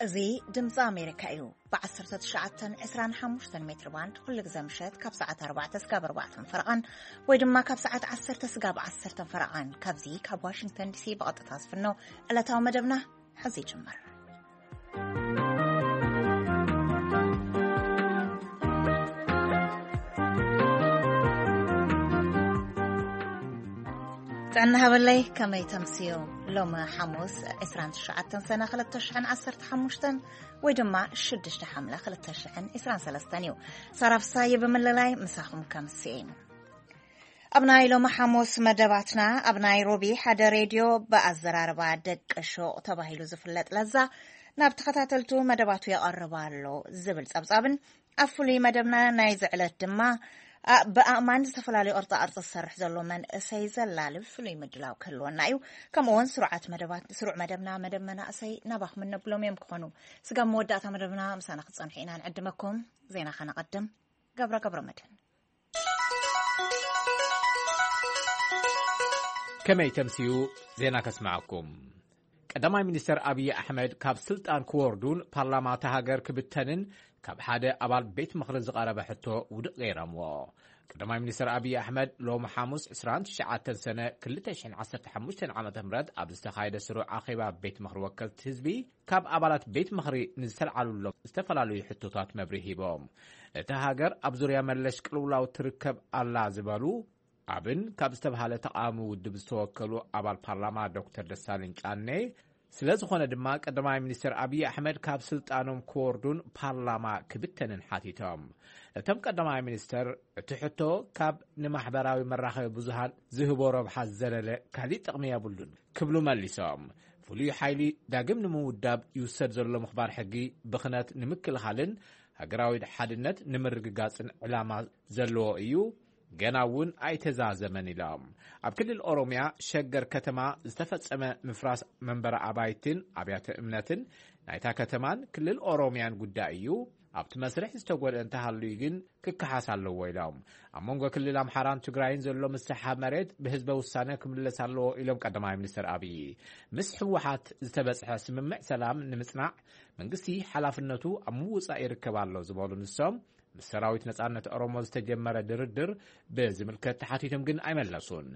እዚ ድምፂ ኣሜሪካ እዩ። ብ19፣ 25 ሜትር ባንድ ኩሉ ግዜ ምሸት ካብ ሰዓት ኣርባዕተ ስጋብ ኣርባዕተ ፈረቓን ወይ ድማ ካብ ሰዓት ዓሰርተ ስጋብ ዓሰርተ ፈረቓን ካብዚ ካብ ዋሽንግተን ዲሲ ብቐጥታ ዝፍኖ ዕለታዊ መደብና ሕዚ ይጅምር። ጥዕና ሃበለይ፣ ከመይ ተምስዩ? ሎሚ ሓሙስ ዕስራን ትሽዓተን ሰነ ክልተ ሽሕን ዓሰርተ ሓሙሽተን ወይ ድማ ሽዱሽተ ሓምለ ክልተ ሽሕን ዕስራን ሰለስተን እዩ። ሳራ ፍሳየ ብምልላይ ምሳኹም ከምስየ። ኣብ ናይ ሎሚ ሓሙስ መደባትና፣ ኣብ ናይሮቢ ሓደ ሬድዮ ብኣዘራርባ ደቂ ሹቕ ተባሂሉ ዝፍለጥ ለዛ ናብ ተኸታተልቱ መደባቱ የቐርብ ኣሎ ዝብል ጸብጻብን፣ ኣብ ፍሉይ መደብና ናይዚ ዕለት ድማ፣ ኣ-፣ ብኣእማን ዝተፈላለዩ ቅርጻ ቅርጺ ዝሰርሕ ዘሎ መንእሰይ ዘላልብ ፍሉይ ምድላው ክህልወና እዩ። ከምኡ እውን ስሩዓት መደባት፣ ስሩዕ መደብና መደብ መናእሰይ ናባኹም እነብሎም እዮም ክኾኑ። ስጋብ መወዳእታ መደብና ምሳና ክትጸንሑ ኢና ንዕድመኩም። ዜና ከነቐድም። ገብረ ገብረ መድህን። ከመይ ተምስዩ? ዜና ከስምዓኩም። ቀዳማይ ሚኒስተር ኣብይ ኣሕመድ ካብ ስልጣን ክወርዱን ፓርላማ እታ ሃገር ክብተንን ካብ ሓደ ኣባል ቤት ምኽሪ ዝቐረበ ሕቶ ውድቕ ገይሮምዎ። ቀዳማይ ሚኒስተር ኣብይ ኣሕመድ ሎሚ ሓሙስ ዕስራን ትሽዓተን ሰነ ክልተ ሽሕን ዓሰርተ ሓሙሽተን ዓመተ ምህረት ኣብ ዝተኻየደ ስሩዕ ኣኼባ ቤት ምኽሪ ወከልቲ ህዝቢ ካብ ኣባላት ቤት ምኽሪ ንዝተልዓሉሎም ዝተፈላለዩ ሕቶታት መብርሂ ሂቦም። እታ ሃገር ኣብ ዙርያ መለሽ ቅልውላው ትርከብ ኣላ ዝበሉ ኣብን ካብ ዝተብሃለ ተቃዋሚ ውድብ ዝተወከሉ ኣባል ፓርላማ ዶክተር ደሳለኝ ጫኔ፣ ስለ ዝኾነ ድማ ቀዳማይ ሚኒስተር ኣብይ ኣሕመድ ካብ ስልጣኖም ክወርዱን ፓርላማ ክብተንን ሓቲቶም። እቶም ቀዳማይ ሚኒስተር፣ እቲ ሕቶ ካብ ንማሕበራዊ መራኸቢ ብዙሃን ዝህቦ ረብሓ ዝዘለለ ካሊእ ጥቕሚ የብሉን ክብሉ መሊሶም። ፍሉይ ሓይሊ ዳግም ንምውዳብ ይውሰድ ዘሎ ምኽባር ሕጊ ብኽነት ንምክልኻልን ሃገራዊ ሓድነት ንምርግጋጽን ዕላማ ዘለዎ እዩ፣ ገና እውን ኣይተዛዘመን ኢሎም። ኣብ ክልል ኦሮምያ ሸገር ከተማ ዝተፈጸመ ምፍራስ መንበሪ ኣባይትን ኣብያተ እምነትን ናይታ ከተማን ክልል ኦሮምያን ጉዳይ እዩ። ኣብቲ መስርሕ ዝተጎድአ እንተሃልዩ ግን ክከሓስ ኣለዎ ኢሎም። ኣብ መንጎ ክልል ኣምሓራን ትግራይን ዘሎ ምስሕሓብ መሬት ብህዝበ ውሳነ ክምለስ ኣለዎ ኢሎም ቀዳማይ ሚኒስትር ኣብይ። ምስ ህወሓት ዝተበጽሐ ስምምዕ ሰላም ንምጽናዕ መንግስቲ ሓላፍነቱ ኣብ ምውጻእ ይርከብ ኣሎ ዝበሉ ንሶም፣ ምስ ሰራዊት ነጻነት ኦሮሞ ዝተጀመረ ድርድር ብዝምልከት ተሓቲቶም ግን ኣይመለሱን።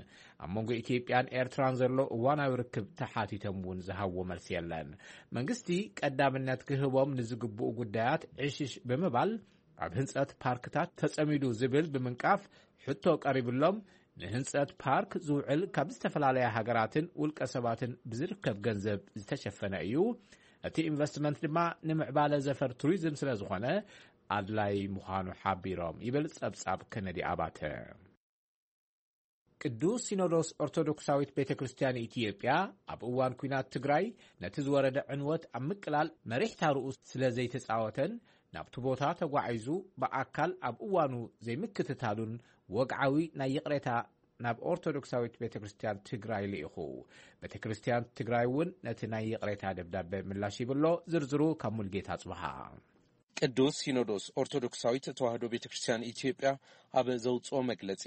ኣብ መንጎ ኢትዮጵያን ኤርትራን ዘሎ እዋናዊ ርክብ ተሓቲቶም እውን ዝሃብዎ መልሲ የለን። መንግስቲ ቀዳምነት ክህቦም ንዝግብኡ ጉዳያት ዕሽሽ ብምባል ኣብ ህንጸት ፓርክታት ተጸሚዱ ዝብል ብምንቃፍ ሕቶ ቀሪብሎም፣ ንህንጸት ፓርክ ዝውዕል ካብ ዝተፈላለያ ሃገራትን ውልቀ ሰባትን ብዝርከብ ገንዘብ ዝተሸፈነ እዩ። እቲ ኢንቨስትመንት ድማ ንምዕባለ ዘፈር ቱሪዝም ስለ ዝኾነ ኣድላይ ምዃኑ ሓቢሮም ይብል ጸብጻብ ከነዲ ኣባተ። ቅዱስ ሲኖዶስ ኦርቶዶክሳዊት ቤተ ክርስቲያን ኢትዮጵያ ኣብ እዋን ኲናት ትግራይ ነቲ ዝወረደ ዕንወት ኣብ ምቅላል መሪሕ ታርኡ ስለ ዘይተጻወተን ናብቲ ቦታ ተጓዒዙ ብኣካል ኣብ እዋኑ ዘይምክትታሉን ወግዓዊ ናይ ይቕሬታ ናብ ኦርቶዶክሳዊት ቤተ ክርስቲያን ትግራይ ልኢኹ። ቤተ ክርስቲያን ትግራይ እውን ነቲ ናይ ይቕሬታ ደብዳቤ ምላሽ ይብሎ። ዝርዝሩ ካብ ሙልጌታ ጽብሃ። ቅዱስ ሲኖዶስ ኦርቶዶክሳዊት ተዋህዶ ቤተ ክርስቲያን ኢትዮጵያ ኣብ ዘውፅኦ መግለፂ፣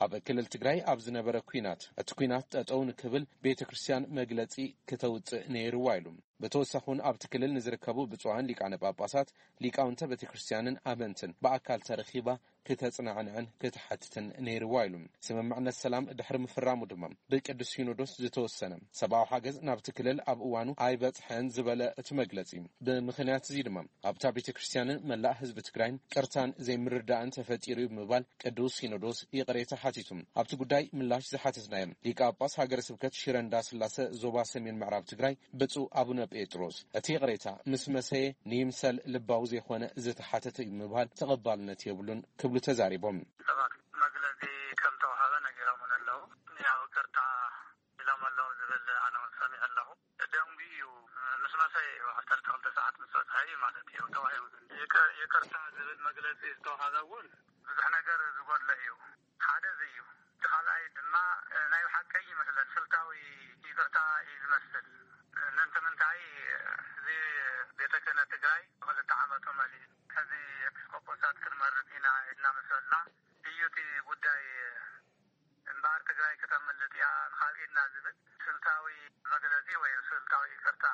ኣብ ክልል ትግራይ ኣብ ዝነበረ ኲናት፣ እቲ ኲናት ጠጠው ንክብል ቤተ ክርስቲያን መግለፂ ክተውፅእ ነይርዋ ኢሉ። ብተወሳኺ እውን ኣብቲ ክልል ንዝርከቡ ብፁዓን ሊቃነ ጳጳሳት፣ ሊቃውንተ ቤተ ክርስቲያንን ኣመንትን ብኣካል ተረኺባ ክተጽናዕንዕን ክትሓትትን ነይርዋ ኢሉ። ስምምዕነት ሰላም ድሕሪ ምፍራሙ ድማ ብቅዱስ ሲኖዶስ ዝተወሰነ ሰብኣዊ ሓገዝ ናብቲ ክልል ኣብ እዋኑ ኣይበጽሐን ዝበለ እቲ መግለጺ፣ ብምኽንያት እዚ ድማ ኣብታ ቤተ ክርስቲያንን መላእ ህዝቢ ትግራይን ቅርታን ዘይምርዳእን ተፈጢሩ እዩ ብምባል ቅዱስ ሲኖዶስ ይቕሬታ ሓቲቱ። ኣብቲ ጉዳይ ምላሽ ዝሓተትናዮም ሊቀ ጳጳስ ሃገረ ስብከት ሽረ እንዳ ስላሰ ዞባ ሰሜን ምዕራብ ትግራይ ብፁዕ ኣቡነ ጴጥሮስ፣ እቲ ይቕሬታ ምስ መሰየ ንይምሰል ልባዊ ዘይኮነ ዝተሓተተ እዩ ምባል ተቐባልነት የብሉን ክብሉ ተዛሪቦም። ሰባት መግለጺ ከም ተዋሃበ ነጊሮምን ኣለዉ። ያው ይቅርታ ኢሎም ኣለዉ ዝብል ኣነ እውን ሰሚዐ ኣለኹ። ደንጉዩ እዩ። ምስ መሰየ እዩ፣ ዓሰርተ ክልተ ሰዓት ምስ በጽሐ እዩ ማለት እዩ ተዋሂቡ። ይቅ-፣ ይቅርታ ዝብል መግለጺ ዝተዋሃበ እውን ብዙሕ ነገር ዝጎድሎ እዩ። ሓደ እዚ እዩ። እቲ ካልኣይ ድማ፣ እ፣ ናይ ብሓቀይ ይመስለን ስልታዊ ይቅርታ እዩ ዝመስል። ምእንቲ ምንታይ፣ እዚ ቤተ ክህነት ትግራይ ክልተ ዓመቱ መሊኡ፣ ሕዚ ኤጲስቆጶሳት ክንመርጥ ኢና ኢልና ምስ በልና እዩ እቲ ጉዳይ። እምበኣር ትግራይ ከተምልጥ እያ ንኻልእ ኢድና ዝብል ስልታዊ መግለጺ ወይ ስልታዊ ይቅርታ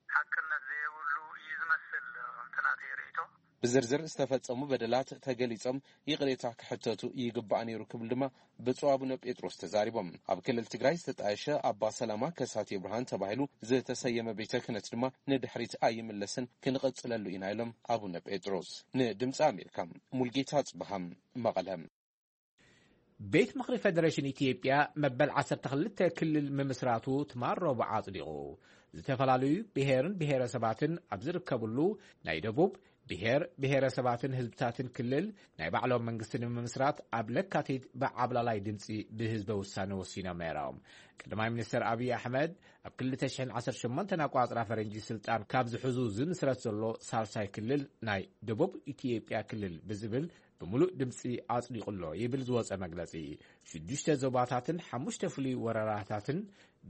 ሓቅነት ዘየብሉ ኩሉ እዩ ዝመስል፣ እቲ ናተይ ርእይቶ። ብዝርዝር ዝተፈጸሙ በደላት ተገሊጾም ይቕሬታ ክሕተቱ ይግባእ ነይሩ ክብል ድማ ብፁዕ ኣቡነ ጴጥሮስ ተዛሪቦም። ኣብ ክልል ትግራይ ዝተጣየሸ ኣባ ሰላማ ከሳቴ ብርሃን ተባሂሉ ዝተሰየመ ቤተ ክህነት ድማ ንድሕሪት ኣይምለስን፣ ክንቕጽለሉ ኢና ኢሎም ኣቡነ ጴጥሮስ። ንድምፂ ኣሜሪካ ሙልጌታ ጽብሃም መቐለ። ቤት ምኽሪ ፌደሬሽን ኢትዮጵያ መበል ዓሰርተ ክልተ ክልል ምምስራቱ ትማል ረቡዕ ኣጽዲቑ። ዝተፈላለዩ ብሄርን ብሄረሰባትን ኣብ ዝርከብሉ ናይ ደቡብ ብሄር ብሄረሰባትን ህዝብታትን ክልል ናይ ባዕሎም መንግስቲ ንምምስራት ኣብ ለካቲት ብዓብላላይ ድምፂ ብህዝበ ውሳነ ወሲኖም ነይሮም። ቀዳማይ ሚኒስትር ኣብይ ኣሕመድ ኣብ ክልተ ሽሕን ዓሰርተ ሸሞንተን ኣቋፅራ ፈረንጂ ስልጣን ካብ ዝሕዙ ዝምስረት ዘሎ ሳልሳይ ክልል ናይ ደቡብ ኢትዮጵያ ክልል ብዝብል ብምሉእ ድምፂ ኣጽዲቑ ኣሎ ይብል ዝወፀ መግለፂ። ሽዱሽተ ዞባታትን ሓሙሽተ ፍሉይ ወረዳታትን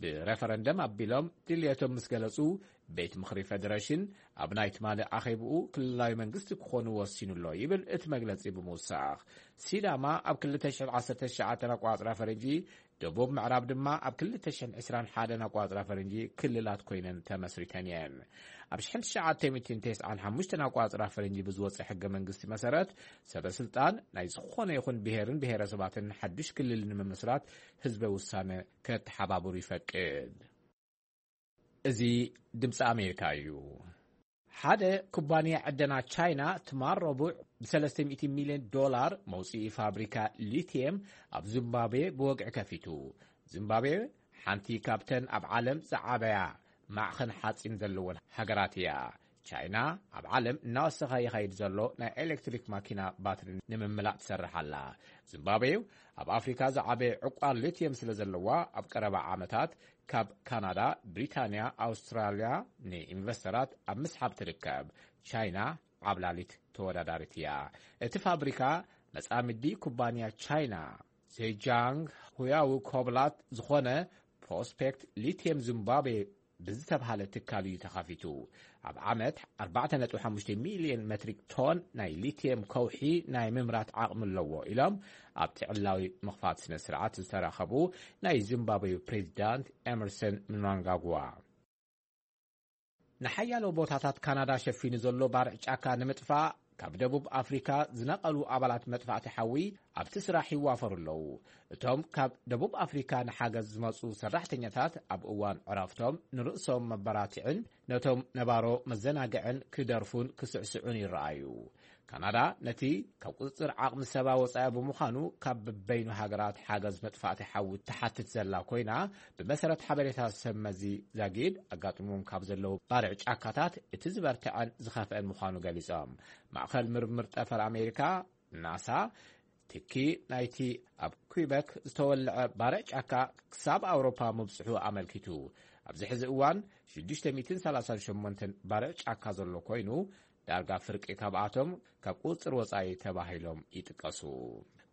ብረፈረንደም ኣቢሎም ድልየቶም ምስ ገለጹ፣ ቤት ምኽሪ ፌደሬሽን ኣብ ናይ ትማሊ ኣኼብኡ ክልላዊ መንግስቲ ክኾኑ ወሲኑ ኣሎ ይብል እቲ መግለጺ ብምውሳኽ። ሲዳማ ኣብ ክልተ ሽሕን ዓሰርተ ትሽዓተን ኣቋጽራ ፈረንጂ፣ ደቡብ ምዕራብ ድማ ኣብ ክልተ ሽሕን ዕስራን ሓደን ኣቋጽራ ፈረንጂ ክልላት ኮይነን ተመስሪተን እየን። ኣብ ሽሕን ትሽዓተ ሚእትን ተስዓን ሓሙሽተን ኣቋጽራ ፈረንጂ ብዝወጸ ሕገ መንግስቲ መሰረት፣ ሰበ ስልጣን ናይ ዝኾነ ይኹን ብሄርን ብሄረሰባትን ሓዱሽ ክልል ንምምስራት ህዝበ ውሳነ ከተሓባብሩ ይፈቅድ። እዚ ድምፂ ኣሜሪካ እዩ። ሓደ ኩባንያ ዕደና ቻይና ትማል ረቡዕ ብ ሰለስተ ሚእቲ ሚልዮን ዶላር መውፅኢ ፋብሪካ ሊቲየም ኣብ ዚምባብዌ ብወግዒ ከፊቱ። ዚምባብዌ ሓንቲ ካብተን ኣብ ዓለም ዝዓበያ ማዕኸን ሓፂን ዘለወን ሃገራት እያ። ቻይና ኣብ ዓለም እናወሰኸ ይኸይድ ዘሎ ናይ ኤሌክትሪክ ማኪና ባትሪ ንምምላእ ትሰርሕ ኣላ። ዚምባብዌ ኣብ ኣፍሪካ ዝዓበየ ዕቋር ሊቲየም ስለ ዘለዋ፣ ኣብ ቀረባ ዓመታት ካብ ካናዳ፣ ብሪታንያ፣ ኣውስትራልያ ንኢንቨስተራት ኣብ ምስሓብ ትርከብ። ቻይና ዓብላሊት ተወዳዳሪት እያ። እቲ ፋብሪካ መጻምዲ ኩባንያ ቻይና ዜጃንግ ሁያው ኮብላት ዝኾነ ፕሮስፔክት ሊቲየም ዚምባብዌ ብዝተብሃለ ትካል እዩ ተኸፊቱ። ኣብ ዓመት ኣርባዕተ ነጥቢ ሓሙሽተ ሚልዮን ሜትሪክ ቶን ናይ ሊቲየም ከውሒ ናይ ምምራት ዓቕሚ ኣለዎ ኢሎም ኣብቲ ዕላዊ ምኽፋት ስነ ስርዓት ዝተረኸቡ ናይ ዚምባብዌ ፕሬዚዳንት ኤመርሰን ምናንጋግዋ። ንሓያሎ ቦታታት ካናዳ ሸፊኑ ዘሎ ባርዕ ጫካ ንምጥፋእ ካብ ደቡብ ኣፍሪካ ዝነቐሉ ኣባላት መጥፋእቲ ሓዊ ኣብቲ ስራሕ ይዋፈሩ ኣለዉ። እቶም ካብ ደቡብ ኣፍሪካ ንሓገዝ ዝመጹ ሰራሕተኛታት ኣብ እዋን ዕረፍቶም ንርእሶም መበራትዕን ነቶም ነባሮ መዘናግዕን ክደርፉን ክስዕስዑን ይረኣዩ። ካናዳ ነቲ ካብ ቁጽጽር ዓቕሚ ሰባ ወጻኢ ብምዃኑ ካብ በበይኑ ሃገራት ሓገዝ መጥፋእቲ ሓዊ ትሓትት ዘላ ኮይና፣ ብመሰረት ሓበሬታ ሰብ መዚ ዛጊድ ኣጋጢሞም ካብ ዘለዉ ባርዕ ጫካታት እቲ ዝበርትዐን ዝኸፍአን ምዃኑ ገሊጾም። ማእኸል ምርምር ጠፈር ኣሜሪካ ናሳ ትኪ ናይቲ ኣብ ኩይበክ ዝተወልዐ ባርዕ ጫካ ክሳብ ኣውሮፓ ምብጽሑ ኣመልኪቱ። ኣብዚ ሕዚ እዋን ሽዱሽተ ሚእትን ሰላሳን ሸሞንተን ባርዕ ጫካ ዘሎ ኮይኑ፣ ዳርጋ ፍርቂ ካብኣቶም ካብ ቁጽር ወጻኢ ተባሂሎም ይጥቀሱ።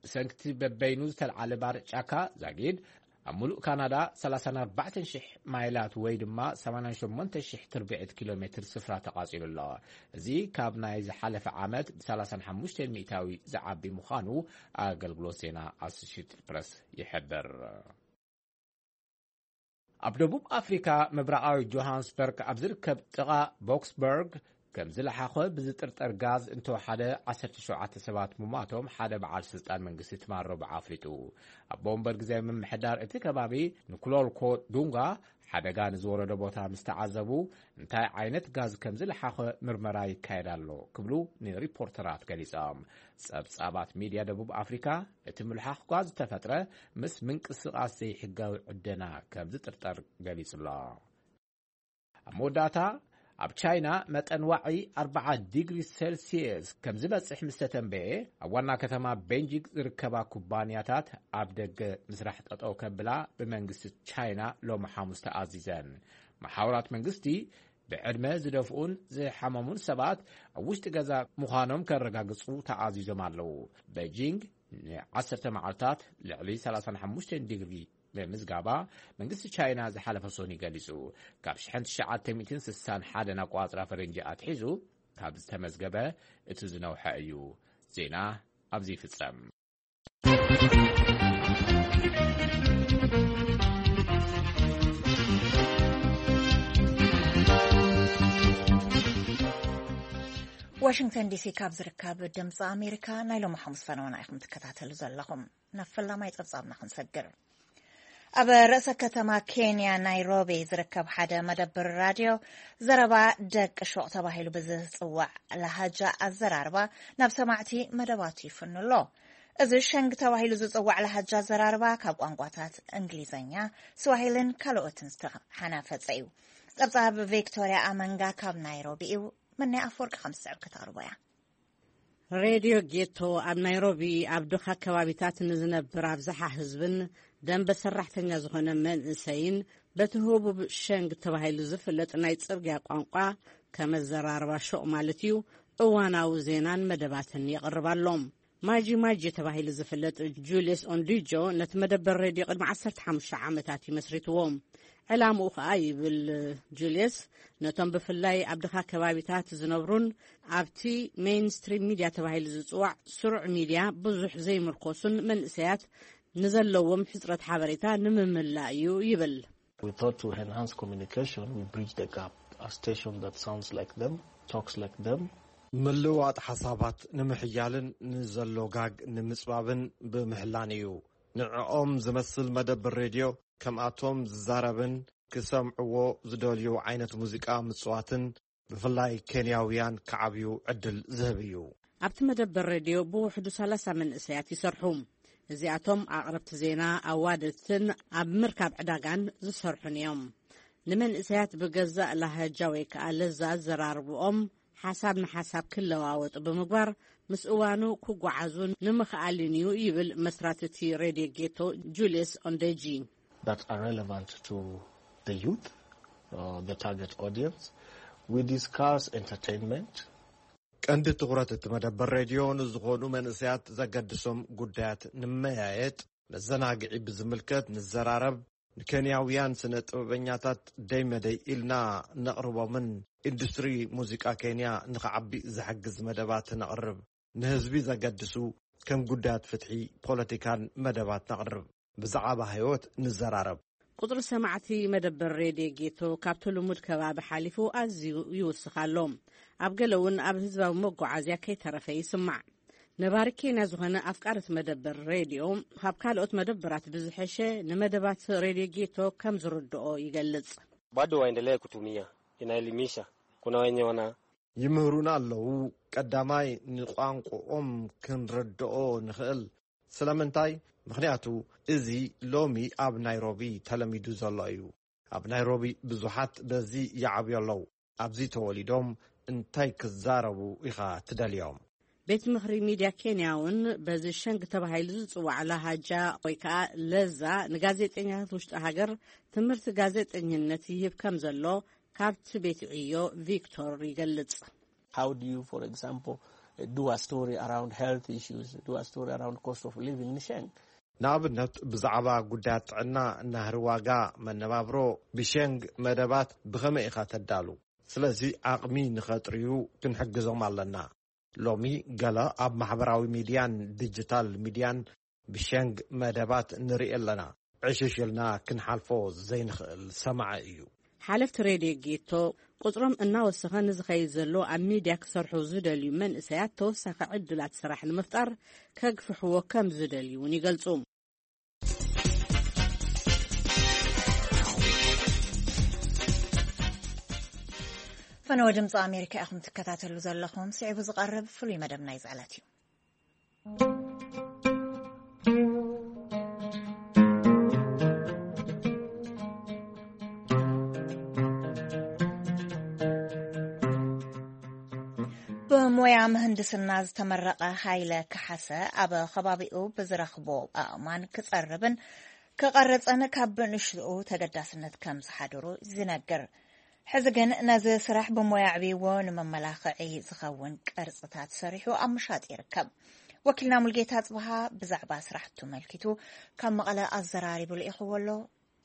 ብሰንክቲ በበይኑ ዝተልዓለ ባርዕ ጫካ ዛጊድ ኣብ ሙሉእ ካናዳ ሰላሳን ኣርባዕተን ሽሕ ማይላት ወይ ድማ ሰማንያን ሸሞንተ ሽሕ ትርብዒት ኪሎ ሜትር ስፍራ ተቓጺሉ ኣሎ። እዚ ካብ ናይ ዝሓለፈ ዓመት ብ ሰላሳን ሓሙሽተን ሚእታዊ ዝዓቢ ምዃኑ ኣገልግሎት ዜና ኣሶሽየትድ ፕረስ ይሕብር። ኣብ ደቡብ ኣፍሪካ ምብራቓዊ ጆሃንስበርግ ኣብ ዝርከብ ጥቓ ቦክስበርግ ከም ዝለሓኸ ብዝጥርጠር ጋዝ እንተወሓደ ዓሰርተ ሸውዓተ ሰባት ምሟቶም ሓደ በዓል ስልጣን መንግስቲ ትማል ረቡዕ ኣፍሊጡ። ኣቦ ወንበር ግዜ ምምሕዳር እቲ ከባቢ ንኩሎልኮ ዱንጋ ሓደጋ ንዝወረዶ ቦታ ምስ ተዓዘቡ፣ እንታይ ዓይነት ጋዝ ከም ዝለሓኸ ምርመራ ይካየድ ኣሎ ክብሉ ንሪፖርተራት ገሊጾም። ጸብጻባት ሚድያ ደቡብ ኣፍሪካ እቲ ምልሓኽ ጋዝ ዝተፈጥረ ምስ ምንቅስቓስ ዘይሕጋዊ ዕደና ከም ዝጥርጠር ገሊጹ ኣሎ። ኣብ መወዳእታ፣ ኣብ ቻይና መጠን ዋዒ ኣርባዓ ዲግሪ ሴልሲየስ ከም ዝበጽሕ ምስ ተተንበየ፣ ኣብ ዋና ከተማ ቤንጂንግ ዝርከባ ኩባንያታት ኣብ ደገ ምስራሕ ጠጠው ከብላ ብመንግስቲ ቻይና ሎሚ ሓሙስ ተኣዚዘን። መሓውራት መንግስቲ ብዕድመ ዝደፍኡን ዝሓመሙን ሰባት ኣብ ውሽጢ ገዛ ምዃኖም ከረጋግጹ ተኣዚዞም ኣለዉ። ቤጂንግ ንዓሰርተ መዓልታት ልዕሊ ሰላሳን ሓሙሽተን ዲግሪ ብምዝጋባ መንግስቲ ቻይና ዝሓለፈ ሰኑይ ገሊጹ። ካብ ሽሕን ትሽዓተ ሚእትን ስሳን ሓደን ኣቋጽራ ፈረንጂ ኣትሒዙ ካብ ዝተመዝገበ እቲ ዝነውሐ እዩ። ዜና ኣብዚ ይፍጸም። ዋሽንግተን ዲሲ ካብ ዝርከብ ድምፂ ኣሜሪካ ናይ ሎሚ ሓሙስ ፈነወና ኢኹም ትከታተሉ ዘለኹም። ናብ ፈላማይ ጸብጻብና ክንሰግር። ኣብ ርእሰ ከተማ ኬንያ ናይሮቢ ዝርከብ ሓደ መደብር ራድዮ ዘረባ ደቂ ሹቕ ተባሂሉ ብዝጽዋዕ ላሃጃ ኣዘራርባ ናብ ሰማዕቲ መደባቱ ይፍኑ ኣሎ። እዚ ሸንግ ተባሂሉ ዝጽዋዕ ላሃጃ ኣዘራርባ ካብ ቋንቋታት እንግሊዝኛ፣ ስዋሂልን ካልኦትን ዝተሓናፈጸ እዩ። ጸብጻብ ቪክቶርያ ኣመንጋ ካብ ናይሮቢ እዩ። መናይ ኣፈወርቂ ከም ዝስዕብ ከተቕርቦ እያ። ሬድዮ ጌቶ ኣብ ናይሮቢ ኣብ ድኻ ከባቢታት ንዝነብር ኣብዝሓ ህዝብን ደንበ ሰራሕተኛ ዝኾነ መንእሰይን በቲ ህቡብ ሸንግ ተባሂሉ ዝፍለጥ ናይ ጽርግያ ቋንቋ ከመዘራርባ ሹቕ ማለት እዩ እዋናዊ ዜናን መደባትን የቕርብ ኣሎ። ማጂ ማጂ ተባሂሉ ዝፍለጥ ጁልየስ ኦንዲጆ ነቲ መደበር ሬድዮ ቅድሚ ዓሰርተ ሓሙሽተ ዓመታት እዩ መስሪትዎ። ዕላምኡ ኸኣ ይብል ጁልየስ፣ ነቶም ብፍላይ ኣብ ድኻ ከባቢታት ዝነብሩን ኣብቲ ሜይንስትሪም ሚድያ ተባሂሉ ዝጽዋዕ ስሩዕ ሚድያ ብዙሕ ዘይምርኮሱን መንእሰያት ንዘለዎም ሕጽረት ሓበሬታ ንምምላእ እዩ ይብል። We thought to enhance communication, we bridge the gap. A station that sounds like them, talks like them. ምልውዋጥ ሓሳባት ንምሕያልን ንዘሎ ጋግ ንምጽባብን ብምሕላን እዩ። ንዕኦም ዝመስል መደብር ሬድዮ ከምኣቶም ዝዛረብን ክሰምዕዎ ዝደልዩ ዓይነት ሙዚቃ ምጽዋትን ብፍላይ ኬንያውያን ክዓብዩ ዕድል ዝህብ እዩ። ኣብቲ መደበር ሬድዮ ብውሕዱ ሰላሳ መንእሰያት ይሰርሑ። እዚኣቶም ኣቕረብቲ ዜና፣ ኣዋደድትን ኣብ ምርካብ ዕዳጋን ዝሰርሑን እዮም። ንመንእሰያት ብገዛእ ላሃጃ ወይ ከኣ ለዛ ኣዘራርብኦም ሓሳብ ንሓሳብ ክለዋወጡ ብምግባር ምስ እዋኑ ክጓዓዙ ንምኽኣልን እዩ ይብል መስራቲ እቲ ሬድዮ ጌቶ ጁልየስ ኦንደጂ። That are relevant to the youth, uh, the target audience. We discuss entertainment. ቀንዲ ትኹረት እቲ መደበር ሬድዮ ንዝኾኑ መንእሰያት ዘገድሶም ጉዳያት ንመያየጥ፣ መዘናግዒ ብዝምልከት ንዘራረብ፣ ንኬንያውያን ስነ ጥበበኛታት ደይ መደይ ኢልና ነቕርቦምን ኢንዱስትሪ ሙዚቃ ኬንያ ንኽዓቢ ዝሕግዝ መደባት ነቕርብ። ንህዝቢ ዘገድሱ ከም ጉዳያት ፍትሒ፣ ፖለቲካን መደባት ነቕርብ። ብዛዕባ ህይወት ንዘራረብ። ቁጽሪ ሰማዕቲ መደበር ሬድዮ ጌቶ ካብቲ ልሙድ ከባቢ ሓሊፉ ኣዝዩ ይውስኽ ኣሎ። ኣብ ገለ እውን ኣብ ህዝባዊ መጓዓዝያ ከይተረፈ ይስማዕ። ነባሪ ኬንያ ዝኾነ ኣፍቃሪ እቲ መደበር ሬድዮ፣ ካብ ካልኦት መደበራት ብዝሐሸ ንመደባት ሬድዮ ጌቶ ከም ዝርድኦ ይገልጽ። Bado waendelee kutumia, inaelimisha. Kuna wenye wana ይምህሩና ኣለዉ። ቀዳማይ ንቋንቋኦም ክንርድኦ ንኽእል። ስለምንታይ? ምኽንያቱ እዚ ሎሚ ኣብ ናይሮቢ ተለሚዱ ዘሎ እዩ። ኣብ ናይሮቢ ብዙሓት በዚ ይዓብዩ ኣለዉ። ኣብዚ ተወሊዶም እንታይ ክዛረቡ ኢኻ ትደልዮም? ቤት ምኽሪ ሚድያ ኬንያ እውን በዚ ሸንግ ተባሂሉ ዝጽዋዕ ላሃጃ ወይ ከኣ ለዛ ንጋዜጠኛታት ውሽጢ ሃገር ትምህርቲ ጋዜጠኝነት ይህብ ከም ዘሎ ካብቲ ቤት ዕዮ ቪክቶር ይገልጽ። How do you, for example, do a story around health issues, do a story around cost of living in Sheng? ንኣብነት ብዛዕባ ጉዳያት ጥዕና፣ ናህሪ ዋጋ መነባብሮ ብሸንግ መደባት ብኸመይ ኢኻ ተዳሉ? ስለዚ ዓቕሚ ንኸጥርዩ ክንሕግዞም ኣለና። ሎሚ ገለ ኣብ ማሕበራዊ ሚድያን ዲጂታል ሚድያን ብሸንግ መደባት ንርኢ ኣለና። ዕሽሽ ኢልና ክንሓልፎ ዘይንኽእል ሰማዒ እዩ። ሓለፍቲ ሬድዮ ጌቶ ቁጽሮም እናወሰኸ ንዝኸይድ ዘሎ ኣብ ሚድያ ክሰርሑ ዝደልዩ መንእሰያት ተወሳኺ ዕድላት ስራሕ ንምፍጣር ከግፍሕዎ ከም ዝደልዩ እውን ይገልጹ። ፈነወ ድምፂ ኣሜሪካ ኢኹም ትከታተሉ ዘለኹም። ስዒቡ ዝቐርብ ፍሉይ መደብ ናይ ዝዕለት እዩ። ብሞያ ምህንድስና ዝተመረቐ ሃይለ ከሓሰ ኣብ ከባቢኡ ብዝረኽቦ ኣእማን ክጸርብን ክቐርጽን ካብ ብንሽኡ ተገዳስነት ከም ዝሓድሩ ዝነግር። ሕዚ ግን ነዚ ስራሕ ብሞያ ኣዕብይዎ ንመመላኽዒ ዝኸውን ቅርጽታት ሰሪሑ ኣብ ምሻጥ ይርከብ። ወኪልና ሙልጌታ ጽብሃ ብዛዕባ ስራሕቱ መልኪቱ ካብ መቐለ ኣዘራሪቡ ልኢኽዎ ኣሎ።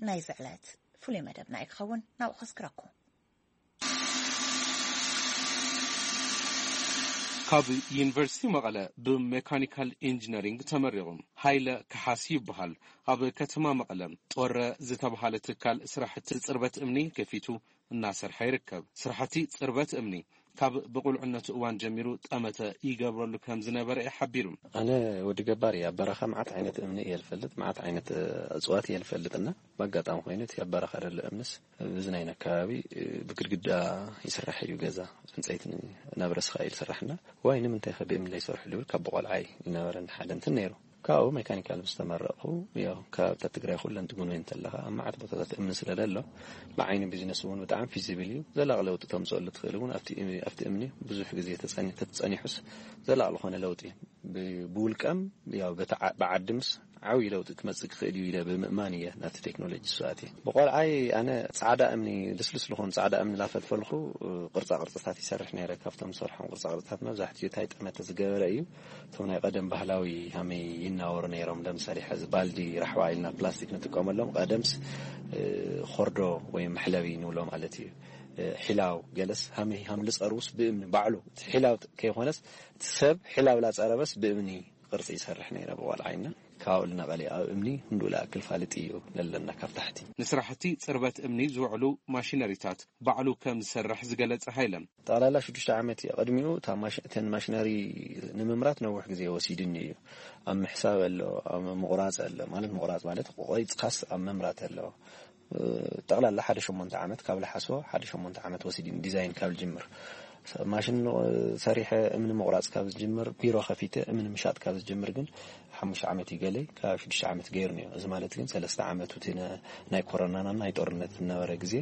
ናይ ዝዕለት ፍሉይ መደብና እዩ ክኸውን፣ ናብኡ ከስክረኩም። ካብ ዩኒቨርሲቲ መቐለ ብሜካኒካል ኢንጂነሪንግ ተመሪቑ ሃይለ ከሓሲ ይበሃል። ኣብ ከተማ መቐለ ጦረ ዝተባሃለ ትካል ስራሕቲ ጽርበት እምኒ ከፊቱ እናሰርሐ ይርከብ። ስራሕቲ ጽርበት እምኒ ካብ ብቁልዕነቱ እዋን ጀሚሩ ጠመተ ይገብረሉ ከም ዝነበረ እዩ ሓቢሩ። ኣነ ወዲ ገባር እየ። ኣብ በረኻ መዓት ዓይነት እምኒ እየ ዝፈልጥ፣ መዓት ዓይነት እፅዋት እየ ዝፈልጥና፣ ብኣጋጣሚ ኮይኑ እቲ ኣብ በረኻ ዘሎ እምንስ ብዚ ናይ ኣከባቢ ብግድግዳ ይስራሕ እዩ ገዛ፣ ዕንፀይቲ ናብ ረስኻ እዩ ዝስራሕና። ዋይ ንምንታይ ከ ብእምኒ ይሰርሑ ልብል ካብ ብቆልዓይ ይነበረኒ ሓደ እንትን ነይሩ። ካብኡ ሜካኒካል ምስ ተመረቕኹ፣ ያው ከባብታት ትግራይ ኩለን ትጉንበይ እንተለኻ ኣብ መዓት ቦታታት እምኒ ስለ ዘሎ፣ ብዓይኒ ቢዝነስ እውን ብጣዕሚ ፊዚብል እዩ። ዘላቕ ለውጢ ተምፅኦሉ ትኽእል እውን ኣብቲ ኣብቲ እምኒ ብዙሕ ግዜ ተፀኒ- ተተፀኒሑስ ዘላቕ ዝኾነ ለውጢ ብ- ብውልቀም ያው በቲ ዓ- ብዓዲ ምስ ዓብዪ ለውጢ ክመፅእ ክኽእል እዩ ኢለ ብምእማን እየ ናብቲ ቴክኖሎጂ ዝኣትየ። ብቆልዓይ ኣነ ፃዕዳ እምኒ፣ ልስልስ ዝኾኑ ፃዕዳ እምኒ ላፈልፈልኩ ቅርፃ ቅርፅታት ይሰርሕ ነይረ። ካብቶም ዝሰርሖም ቅርፃ ቅርፅታት መብዛሕትኡ ታይ ጠመተ ዝገበረ እዩ። እቶም ናይ ቀደም ባህላዊ ሃመይ ይናወሩ ነይሮም። ለምሳሌ ሕዚ ባልዲ ራሕዋ ኢልና ፕላስቲክ ንጥቀመሎም፣ ቀደምስ እ፣ ኾርዶ ወይ መሕለቢ ንብሎ ማለት እዩ። እ፣ ሒላው ገለስ ሃመይ ሃም ልፀርውስ ብእምኒ ባዕሉ እቲ ሒላው ከይኮነስ እቲ ሰብ ሒላው ላፀረበስ ብእምኒ ቅርፂ ይሰርሕ ነይረ ብቆልዓይና። ካብኡ ልነቐለ ኣብ እምኒ ክንዱ ልኣክል ፋልጥ እዩ ለለና ካብ ታሕቲ። ንስራሕቲ ፅርበት እምኒ ዝውዕሉ ማሽነሪታት ባዕሉ ከም ዝሰርሕ ዝገለጸ ሃይለ፣ ጠቕላላ ሽዱሽተ ዓመት እየ። ቅድሚኡ እታ ማሽ- እተን ማሽነሪ ንምምራት ነዊሕ ግዜ ወሲድኒ እዩ። ኣብ ምሕሳብ ኣሎ፣ ኣብ ምቑራፅ ኣሎ። ማለት ምቑራፅ ማለት ቆሪፅካስ ኣብ ምምራት ኣሎ። ጠቕላላ ሓደ ሸሞንተ ዓመት ካብ ልሓስቦ ሓደ ሸሞንተ ዓመት ወሲድኒ ዲዛይን ካብ ልጅምር። ማሽን ሰሪሐ እምኒ ምቑራፅ ካብ ዝጅምር፣ ቢሮ ከፊተ እምኒ ምሻጥ ካብ ዝጅምር ግን ሓሙሽተ ዓመት ይገለይ፣ ካብ ሽዱሽተ ዓመት ገይሩ ነዮ። እዚ ማለት ግን ሰለስተ ዓመት እቲ ነ- ናይ ኮሮናና ናይ ጦርነት ዝነበረ ግዜ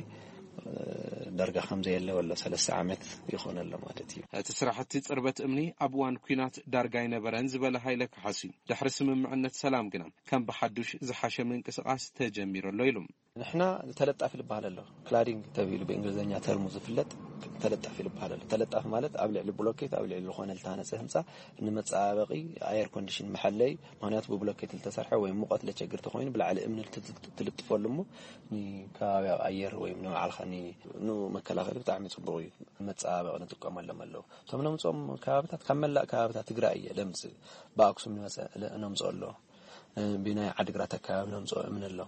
ዳርጋ ከም ዘየለ ወሎ ሰለስተ ዓመት ይኾን ኣሎ ማለት እዩ። እቲ ስራሕቲ ጽርበት እምኒ ኣብ እዋን ኲናት ዳርጋ ኣይነበረን ዝበለ ሃይለ ካሕሲ፣ ድሕሪ ስምምዕነት ሰላም ግና ከም ብሓዱሽ ዝሓሸ ምንቅስቓስ ተጀሚሩ ኣሎ ኢሉ። ንሕና ተለጣፊ ዝበሃል ኣሎ፣ ክላዲንግ ተባሂሉ ብእንግሊዝኛ ተርሙ ዝፍለጥ ተለጣፊ ዝበሃል ኣሎ። ተለጣፊ ማለት ኣብ ልዕሊ ብሎኬት፣ ኣብ ልዕሊ ዝኾነ ዝተሃነፀ ህንፃ ንመፀባበቒ፣ ኣየር ኮንዲሽን መሐለይ፣ ምኽንያቱ ብብሎኬት ዝተሰርሐ ወይ ሙቐት ለቸግር ተኾይኑ ብላዕሊ እምኒ ትልጥፈሉ እሞ ንከባቢያዊ ኣየር ወይ ንባዕልኻ ን- ንመከላኸሊ ብጣዕሚ ፅቡቕ እዩ። መፀባበቒ ንጥቀመሎም ኣለዉ። እቶም ነምፅኦም ከባብታት ካብ መላእ ከባብታት ትግራይ እየ ለምፅእ። ብኣክሱም ንመፀ- ነምፅኦ ኣሎ። ብናይ ዓድግራት ኣከባቢ ነምፅኦ እምኒ ኣሎ።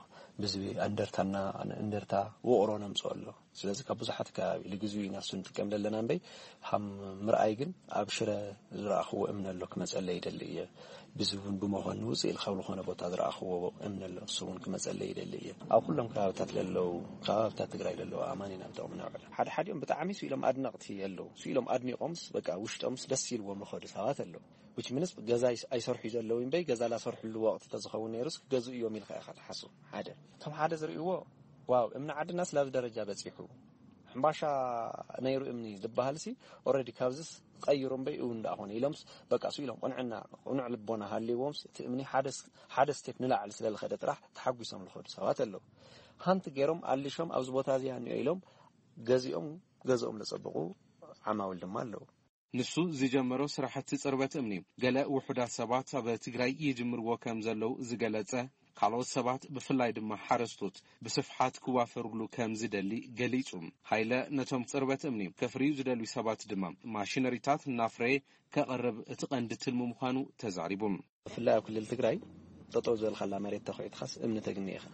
ብዝቢ ኣንደርታና እንደርታ ውቕሮ ነምፅኦ ኣሎ። ስለዚ ካብ ብዙሓት ከባቢ ልግዙ ኢና እሱ ንጥቀም ዘለና እምበይ ሃም ምርኣይ ግን ኣብ ሽረ ዝረኣኽዎ እምኒ ኣሎ ክመፀለይ ይደሊ እየ። ብዚ እውን ብመኾኒ ውፅእ ኢል ካብ ዝኾነ ቦታ ዝረኣኽዎ እምኒ ኣሎ እሱ እውን ክመፀለይ ይደሊ እየ። ኣብ ኩሎም ከባብታት ለለዉ ከባብታት ትግራይ ለለዉ ኣማን ኢና ንጠቕሚ ነውዕል። ሓደ ሓዲኦም ብጣዕሚ ስኢሎም ኣድነቕቲ ኣለዉ። ስኢሎም ኣድኒቖምስ በቃ ውሽጦምስ ደስ ኢልዎም ዝኸዱ ሰባት ኣለዉ። ዊች ምንስ ገዛ ኣይስ- ኣይሰርሑ ዘለዉ እምበይ ገዛ ላሰርሕሉ ወቕቲ ተዝኸውን ነይሩስ ክገዝኡ እዮም ኢልካ ኢኻ ትሓስቡ። ሓደ እቶም ሓደ ዝርእይዎ ዋው እምኒ ዓድና ስላብ ደረጃ በፂሑ ሕምባሻ ነይሩ እምኒ ዝበሃል ሲ ኦረዲ ካብዚስ ቀይሩ እምበይ እውን እንዳኾነ ኢሎምስ በቃ ሱ ኢሎም ቅንዕና ቅኑዕ ልቦና ሃልይዎምስ እቲ እምኒ ሓደ ስ- ሓደ ስቴፕ ንላዕሊ ስለልኸደ ጥራሕ ተሓጒሶም ዝኸዱ ሰባት ኣለዉ። ሃንት ገይሮም ኣሊሾም ኣብዚ ቦታ እዚኣ እኒኦ ኢሎም ገዚኦም ገዝኦም ለፀብቑ ዓማውል ድማ ኣለዉ። ንሱ ዝጀመሮ ስራሕቲ ጽርበት እምኒ ገለ ውሑዳት ሰባት ኣብ ትግራይ ይጅምርዎ ከም ዘለዉ ዝገለጸ፣ ካልኦት ሰባት ብፍላይ ድማ ሓረስቶት ብስፍሓት ክዋፈርሉ ከም ዝደሊ ገሊጹ። ሃይለ ነቶም ጽርበት እምኒ ከፍርዩ ዝደልዩ ሰባት ድማ ማሽነሪታት እናፍረየ ከቕርብ እቲ ቀንዲ ትልሚ ምዃኑ ተዛሪቡ። ብፍላይ ኣብ ክልል ትግራይ ጠጠው ዝበልካላ መሬት ተኹዒትኻስ እምኒ ተግኒ ኢኻ።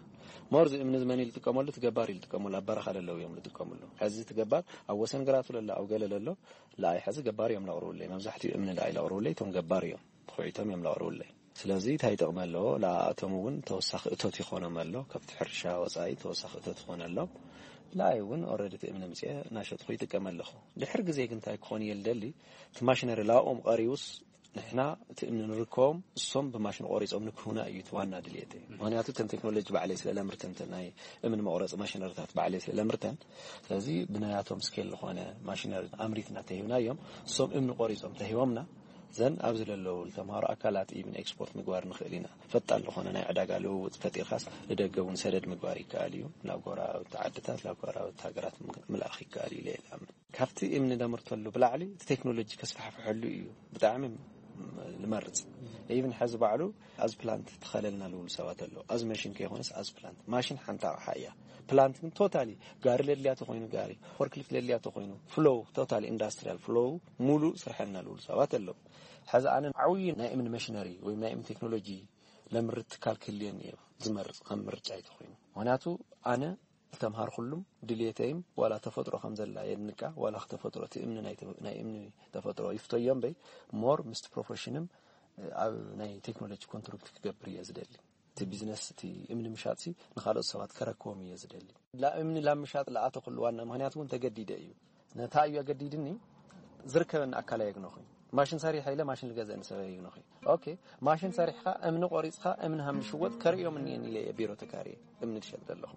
ሞርዚ እምኒ ዝመን እዩ ዝጥቀመሉ? ትገባር እዩ ዝጥቀመሉ። ኣብ በረኻ ለለው እዮም ዝጥቀምሉ። ሕዚ ትገባር ኣብ ወሰን ግራቱ ለሎ ኣብ ገለ ለሎ ለኣይ ሕዚ ገባር እዮም ለቕርቡለይ። መብዛሕትኡ እምኒ ለኣይ ለቕርቡለይ እቶም ገባር እዮም። ተኹዒቶም እዮም ለቕርቡለይ። ስለዚ እንታይ ይጠቕመ ኣለዎ? ለኣቶም እውን ተወሳኺ እቶት ይኾኖም ኣሎ። ካብቲ ሕርሻ ወፃኢ ተወሳኺ እቶት ይኾነ ኣሎ። ለኣይ እውን ኦረዲ እቲ እምኒ ምፅኤ እናሸጥኩ ይጥቀም ኣለኹ። ድሕር ግዜ ግን እንታይ ክኾን እየ ልደሊ? እቲ ማሽነሪ ላብኦም ቀሪቡስ ንሕና እቲ እምኒ ንርከቦም እሶም ብማሽን ቆሪፆም ንክህቡና እዩ እቲ ዋና ድልየተይ። ምክንያቱ እተን ቴክኖሎጂ ባዕለይ ስለ ለምርተን እተን ናይ እምኒ መቁረፂ ማሽነሪታት ባዕለይ ስለ ለምርተን ስለዚ ብናያቶም ስኬል ዝኾነ ማሽነሪ ኣምሪትና ተሂብናዮም እሶም እምኒ ቆሪፆም ተሂቦምና ዘን ኣብዚ ለለዉ ተምሃሮ ኣካላት ኢብን ኤክስፖርት ምግባር ንኽእል ኢና። ፈጣን ዝኾነ ናይ ዕዳጋ ልውውጥ ፈጢርካስ ንደገ እውን ሰደድ ምግባር ይከኣል እዩ። ናብ ጎረባብቲ ዓድታት ናብ ጎረባብቲ ሃገራት ምልኣኽ ይከኣል እዩ ኢለ እየ ዝኣምን። ካብቲ እምኒ ደምርተሉ ብላዕሊ እቲ ቴክኖሎጂ ከስፋሕፍሐሉ እዩ ብጣዕሚ ልመርፅ። ኢቭን ሕዚ ባዕሉ ኣዝ ፕላንት ትኸለልና ልብሉ ሰባት ኣለዉ። ኣዝ መሽን ከይኮነስ ኣዝ ፕላንት ማሽን ሓንቲ ኣቕሓ እያ። ፕላንት ግን ቶታሊ ጋሪ ለድልያ ተኮይኑ ጋሪ ፎርክሊፍት ለድልያ ተኮይኑ ፍሎው ቶታሊ ኢንዳስትሪያል ፍሎው ሙሉእ ስርሐልና ልብሉ ሰባት ኣለዉ። ሕዚ ኣነ ዓብዪ ናይ እምኒ መሽነሪ ወይ ናይ እምኒ ቴክኖሎጂ ለምርት ትካል ክህልየኒ እየ ዝመርፅ ከም ምርጫ ይተኮይኑ። ምክንያቱ ኣነ ዝተምሃርኩሉም ድልየተይም ዋላ ተፈጥሮ ከም ዘላ የድንቃ፣ ዋላ ተፈጥሮ እቲ እምኒ ናይ ተ-፣ ናይ እምኒ ተፈጥሮ ይፍተዮ እምበይ፣ ሞር ምስቲ ፕሮፌሽንም ኣብ ናይ ቴክኖሎጂ ኮንትሪቢዩት ክገብር እየ ዝደሊ። እቲ ቢዝነስ፣ እቲ እምኒ ምሻጥሲ ንኻልኦት ሰባት ከረክቦም እየ ዝደሊ። ላ እምኒ ላብ ምሻጥ ለኣተኹሉ ዋና ምኽንያት እውን ተገዲደ እዩ። ነታ እዩ ኣገዲድኒ፣ ዝርከበኒ ኣካል ኣየግነኹኝ። ማሽን ሰሪሐ ኢለ ማሽን ልገዝአኒ ሰብ ኣየግነኹኝ። ኦኬ፣ ማሽን ሰሪሕኻ እምኒ ቆሪፅኻ እምኒ ሃም ዝሽወጥ ከርእዮም እኒአን ኢለ እየ ቢሮ ተካርየ እምኒ ዝሸጥ ዘለኹ።